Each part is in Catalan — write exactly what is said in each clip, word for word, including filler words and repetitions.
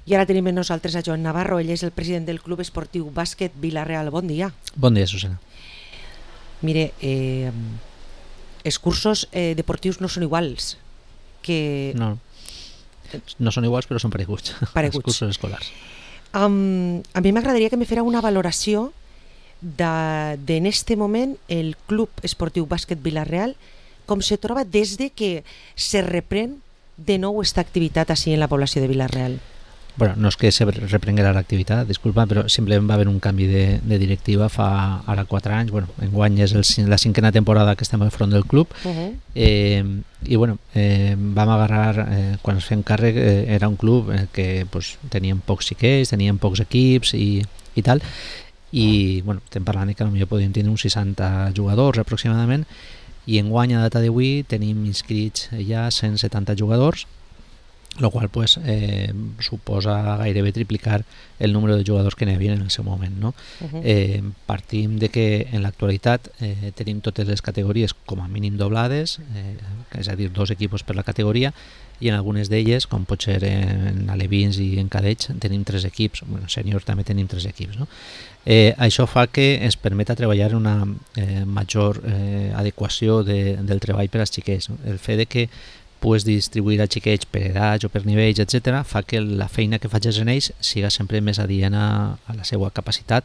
I ara tenim amb nosaltres a Joan Navarro, ell és el president del Club Esportiu Bàsquet Vila-real. Bon dia. Bon dia, Susana. Mire, eh, els cursos eh, deportius no són iguals que... No, no són iguals però són pareguts, pareguts. Els cursos escolars. Um, a mi m'agradaria que me fera una valoració de, de en este moment el Club Esportiu Bàsquet Vila-real, com se troba des de que se reprèn de nou esta activitat així en la població de Vila-real. Bueno, no és que se reprenguera l'activitat, disculpa, però simplement va haver un canvi de, de directiva fa ara quatre anys. Bueno, enguany és el, la cinquena temporada que estem al front del club. Uh-huh. eh, i bueno, eh, vam agarrar, eh, quan ens fem càrrec, eh, era un club eh, que pues, teníem pocs xiquets, teníem pocs equips i, i tal, i bueno, estem parlant que potser podíem tenir uns seixanta jugadors aproximadament, i enguany a data d'avui tenim inscrits ja cent setanta jugadors, el qual pues, eh, suposa gairebé triplicar el número de jugadors que n'hi havia en el seu moment. No? Uh-huh. eh, partim de que en l'actualitat eh, tenim totes les categories com a mínim doblades, eh, és a dir, dos equips per la categoria, i en algunes d'elles, com pot ser en alevins i en cadets, tenim tres equips, bueno, sènior també tenim tres equips. No? Eh, això fa que ens permeta treballar una eh, major eh, adequació de, del treball per als xiquets. No? El fet de que puedes distribuir a xiquets per edats o per nivells, etcètera, fa que la feina que facis en ells siga sempre més adient a, a la seva capacitat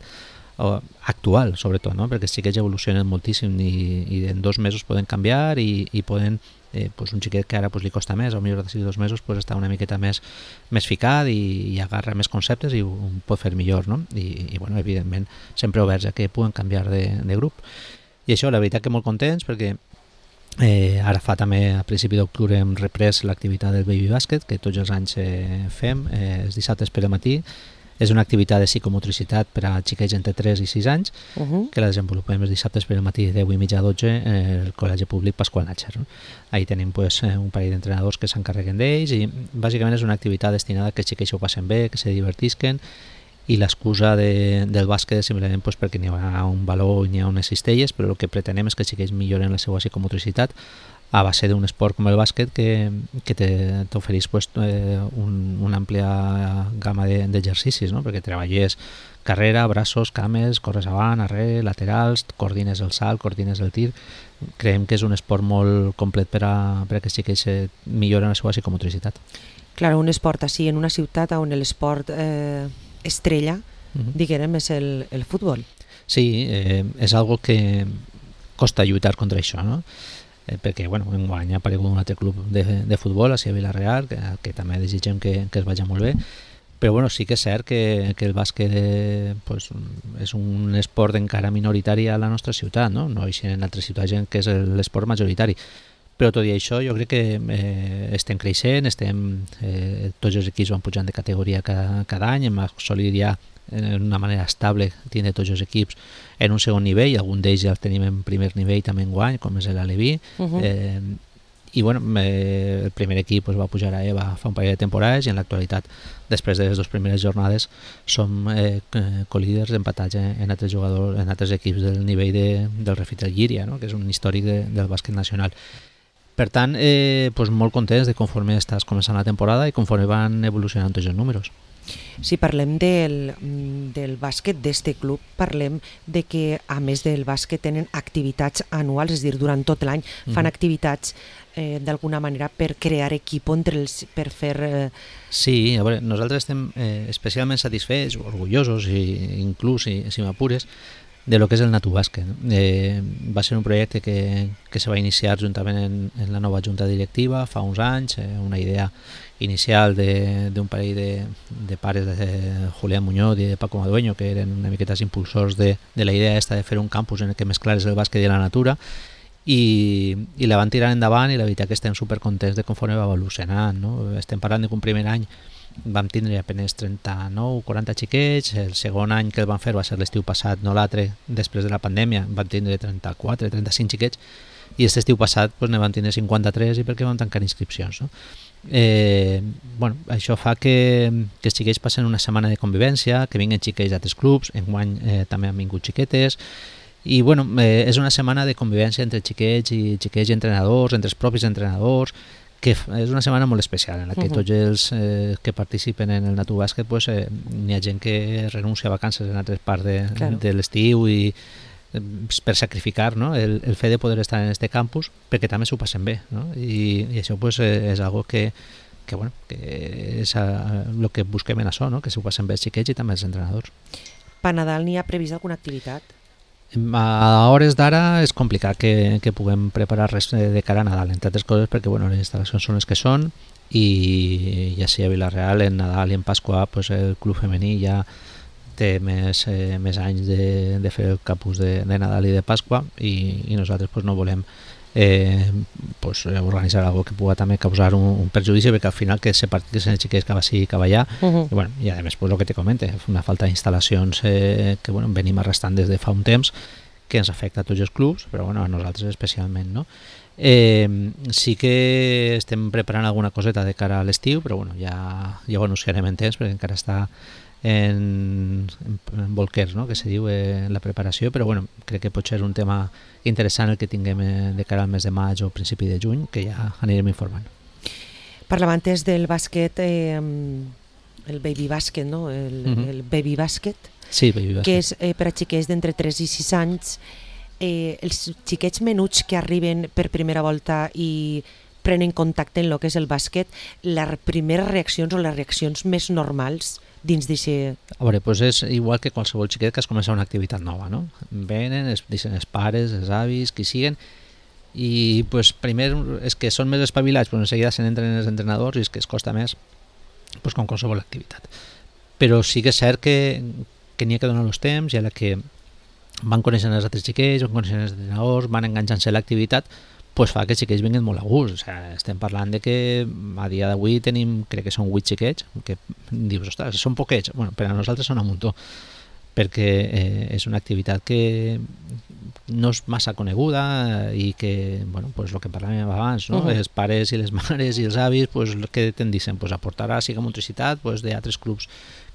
o, actual, sobretot, no? Perquè els xiquets evolucionen moltíssim i, i en dos mesos poden canviar i, i poden, eh, pues un xiquet que ara pues, li costa més, o millor de dos mesos pues, està una miqueta més, més ficat i, i agarra més conceptes i ho, ho pot fer millor, no? I, i bueno, evidentment sempre oberts a que puguen canviar de, de grup. I això, la veritat que molt contents perquè Eh, ara fa també a principi d'octubre hem reprès l'activitat del Baby Bàsquet, que tots els anys eh, fem, eh, els dissabtes per al matí. És una activitat de psicomotricitat per a xiquets entre tres i sis anys, uh-huh. que la desenvolupem els dissabtes per al matí de deu i mitja a dotze eh, al Col·legi Públic Pasqual Natxer. No? Ahí tenim pues, un parell d'entrenadors que s'encarreguen d'ells i bàsicament és una activitat destinada a que els xiquets ho passen bé, que se divertisquen, i l'excusa de, del bàsquet és simplement pues, perquè n'hi ha un valor i n'hi ha unes cistelles, però el que pretenem és que els xiquets milloren la seva psicomotricitat a base d'un esport com el bàsquet que, que t'ofereix pues, eh, un, una àmplia gamma d'exercicis, no? Perquè treballes carrera, braços, cames, corres avant, arrere, laterals, coordines el salt, coordines el tir. Creiem que és un esport molt complet per a, per a que els xiquets milloren la seva psicomotricitat. Clar, un esport així en una ciutat on l'esport eh, estrella, uh-huh. diguem, és el, el futbol. Sí, eh, és algo que costa lluitar contra això, no? Eh, perquè, bueno, enguany ha aparegut un altre club de, de futbol, a Vila-real, que, que també desitgem que, que es vagi molt bé, però bueno, sí que és cert que, que el bàsquet eh, pues, és un esport encara minoritari a la nostra ciutat, no? No hi ha en altres ciutats que és l'esport majoritari. Però tot i això jo crec que eh, estem creixent, estem, eh, tots els equips van pujant de categoria cada, cada any, hem assolit ja d'una manera estable tindre tots els equips en un segon nivell, algun d'ells ja els tenim en primer nivell també enguany, com és l'Aleví. Uh-huh. eh, i bueno, eh, el primer equip pues, va pujar a EVA fa un parell de temporades i en l'actualitat, després de les dues primeres jornades, som eh, co-líders empatats en altres jugadors, en altres equips del nivell de, del Refitel Llíria, no? Que és un històric de, del bàsquet nacional. Per tant, eh, pues molt contents de conforme estàs començant la temporada i conforme van evolucionant tots els números. Si parlem del, del bàsquet d'este club, parlem de que a més del bàsquet tenen activitats anuals, és a dir, durant tot l'any fan mm-hmm. activitats eh, d'alguna manera per crear equip entre els, per fer... Eh... Sí, a veure, nosaltres estem eh, especialment satisfets, orgullosos i inclús, si, si m'apures, de lo que és el Natubàsquet. Eh, va ser un projecte que, que se va iniciar juntament en, en la nova junta directiva fa uns anys, eh, una idea inicial d'un parell de, de pares de Julián Muñoz i de Paco Madueño, que eren una miqueta impulsors de, de la idea esta de fer un campus en el que mesclares el bàsquet i la natura, i, i la van tirar endavant i la veritat que estem supercontents de conforme va evolucionant. No? Estem parlant que un primer any vam tindre apenas trenta-nou o quaranta xiquets, el segon any que el van fer va ser l'estiu passat, no l'altre, després de la pandèmia, vam tindre trenta-quatre trenta-cinc xiquets, i aquest estiu passat pues, ne vam tindre cinquanta-tres i perquè vam tancar inscripcions. No? Eh, bueno, això fa que, que els xiquets passen una setmana de convivència, que vinguen xiquets d'altres clubs, enguany eh, també han vingut xiquetes, i bueno, eh, és una setmana de convivència entre xiquets i xiquets i entrenadors, entre els propis entrenadors, que és una setmana molt especial en la que Uh-huh. tots els eh, que participen en el Natu Bàsquet pues, eh, n'hi ha gent que renuncia a vacances en altres parts de, Claro. de l'estiu i eh, per sacrificar, no? el, el fet de poder estar en este campus perquè també s'ho passen bé, no? I, i això pues, eh, és algo que, que, bueno, que és el que busquem en això, no? Que s'ho passen bé els xiquets i també els entrenadors. Per Nadal n'hi ha previst alguna activitat? A hores d'ara és complicat que, que puguem preparar res de cara a Nadal, entre altres coses perquè bueno, les instal·lacions són les que són i ja sigui a Vila-real en Nadal i en Pasqua pues, el club femení ja té més, eh, més anys de, de fer el campus de, de Nadal i de Pasqua i, i nosaltres pues, no volem eh, pues, organitzar algo que pugui també causar un, un perjudici perquè al final que se partís en els xiquets que va sí que va allà Uh-huh. i, bueno, i a més pues, el que te comente una falta d'instal·lacions eh, que bueno, venim arrastrant des de fa un temps que ens afecta a tots els clubs però bueno, a nosaltres especialment, no? Eh, sí que estem preparant alguna coseta de cara a l'estiu però bueno, ja, ja ho anunciarem en temps perquè encara està en, en, en bolquers, no? Que se diu eh, la preparació, però bueno, crec que pot ser un tema interessant el que tinguem eh, de cara al mes de maig o principi de juny, que ja anirem informant. Parlava antes del bàsquet, eh, el baby bàsquet, no? El, Mhm. el baby bàsquet, Sí, baby bàsquet. que és eh, per a xiquets d'entre tres i sis anys. Eh, els xiquets menuts que arriben per primera volta i prenen contacte en el que és el bàsquet, les primeres reaccions o les reaccions més normals dins d'això... A veure, doncs és igual que qualsevol xiquet que es comença una activitat nova, no? Venen, es dicen els pares, els avis, qui siguen, i pues, primer és que són més espavilats, però enseguida se n'entren els entrenadors i és que es costa més pues, com qualsevol activitat. Però sí que és cert que, que n'hi ha que donar els temps i a la que van coneixent els altres xiquets, van coneixent els entrenadors, van enganxant-se a l'activitat, pues fa que els xiquets vinguin molt a gust. O sigui, estem parlant de que a dia d'avui tenim, crec que són vuit xiquets, que dius, ostres, són poquets. Bueno, per a nosaltres són un muntó, perquè eh, és una activitat que no és massa coneguda i que, bueno, pues lo que parlàvem abans, no? Uh-huh. Els pares i les mares i els avis, pues, que tendicen pues, a portar a siga motricitat pues, d'altres clubs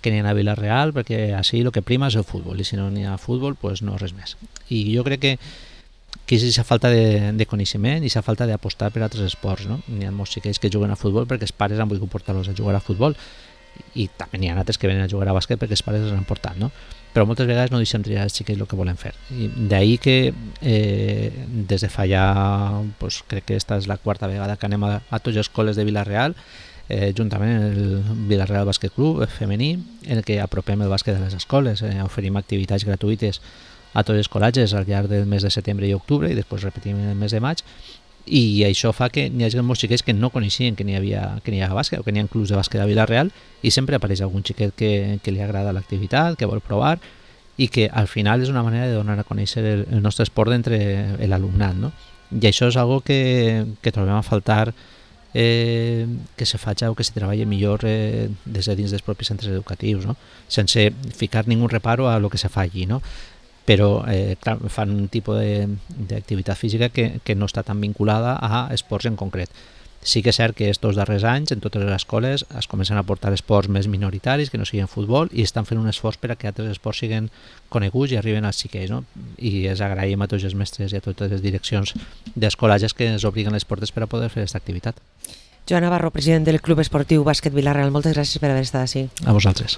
que n'hi ha a Vila-real, perquè així el que prima és el futbol, i si no n'hi ha futbol, pues no res més. I jo crec que que és aquesta falta de, de coneixement i aquesta falta d'apostar per altres esports, no? N'hi ha molts xiquets que juguen a futbol perquè els pares han volgut portar-los a jugar a futbol i també n'hi ha altres que venen a jugar a bàsquet perquè els pares els han portat, no? Però moltes vegades no deixem triar els xiquets el que volen fer. I d'ahir que eh, des de fa ja, pues, crec que esta és la quarta vegada que anem a, a tots els col·les de Vila-real, eh, juntament amb el Vila-real Bàsquet Club femení, en el que apropem el bàsquet de les escoles, eh, oferim activitats gratuïtes a tots els col·legis al llarg del mes de setembre i octubre i després repetim el mes de maig i això fa que n'hi hagi molts xiquets que no coneixien que n'hi havia, que n'hi havia bàsquet o que n'hi ha clubs de bàsquet a Vila-real i sempre apareix algun xiquet que, que li agrada l'activitat, que vol provar i que al final és una manera de donar a conèixer el, el nostre esport entre l'alumnat, no? I això és algo que, que trobem a faltar eh, que se faci o que se treballi millor eh, des de dins dels propis centres educatius, no? Sense ficar ningú reparo a lo que se fa allí, no? Però eh, clar, fan un tipus d'activitat física que, que no està tan vinculada a esports en concret. Sí que és cert que estos darrers anys en totes les escoles es comencen a portar esports més minoritaris que no siguin futbol i estan fent un esforç per a que altres esports siguin coneguts i arriben als xiquets, no? I els agraïm a tots els mestres i a totes les direccions dels col·legis que ens obliguen les portes per a poder fer aquesta activitat. Joan Navarro, president del Club Esportiu Bàsquet Vila-real, moltes gràcies per haver estat així. A vosaltres.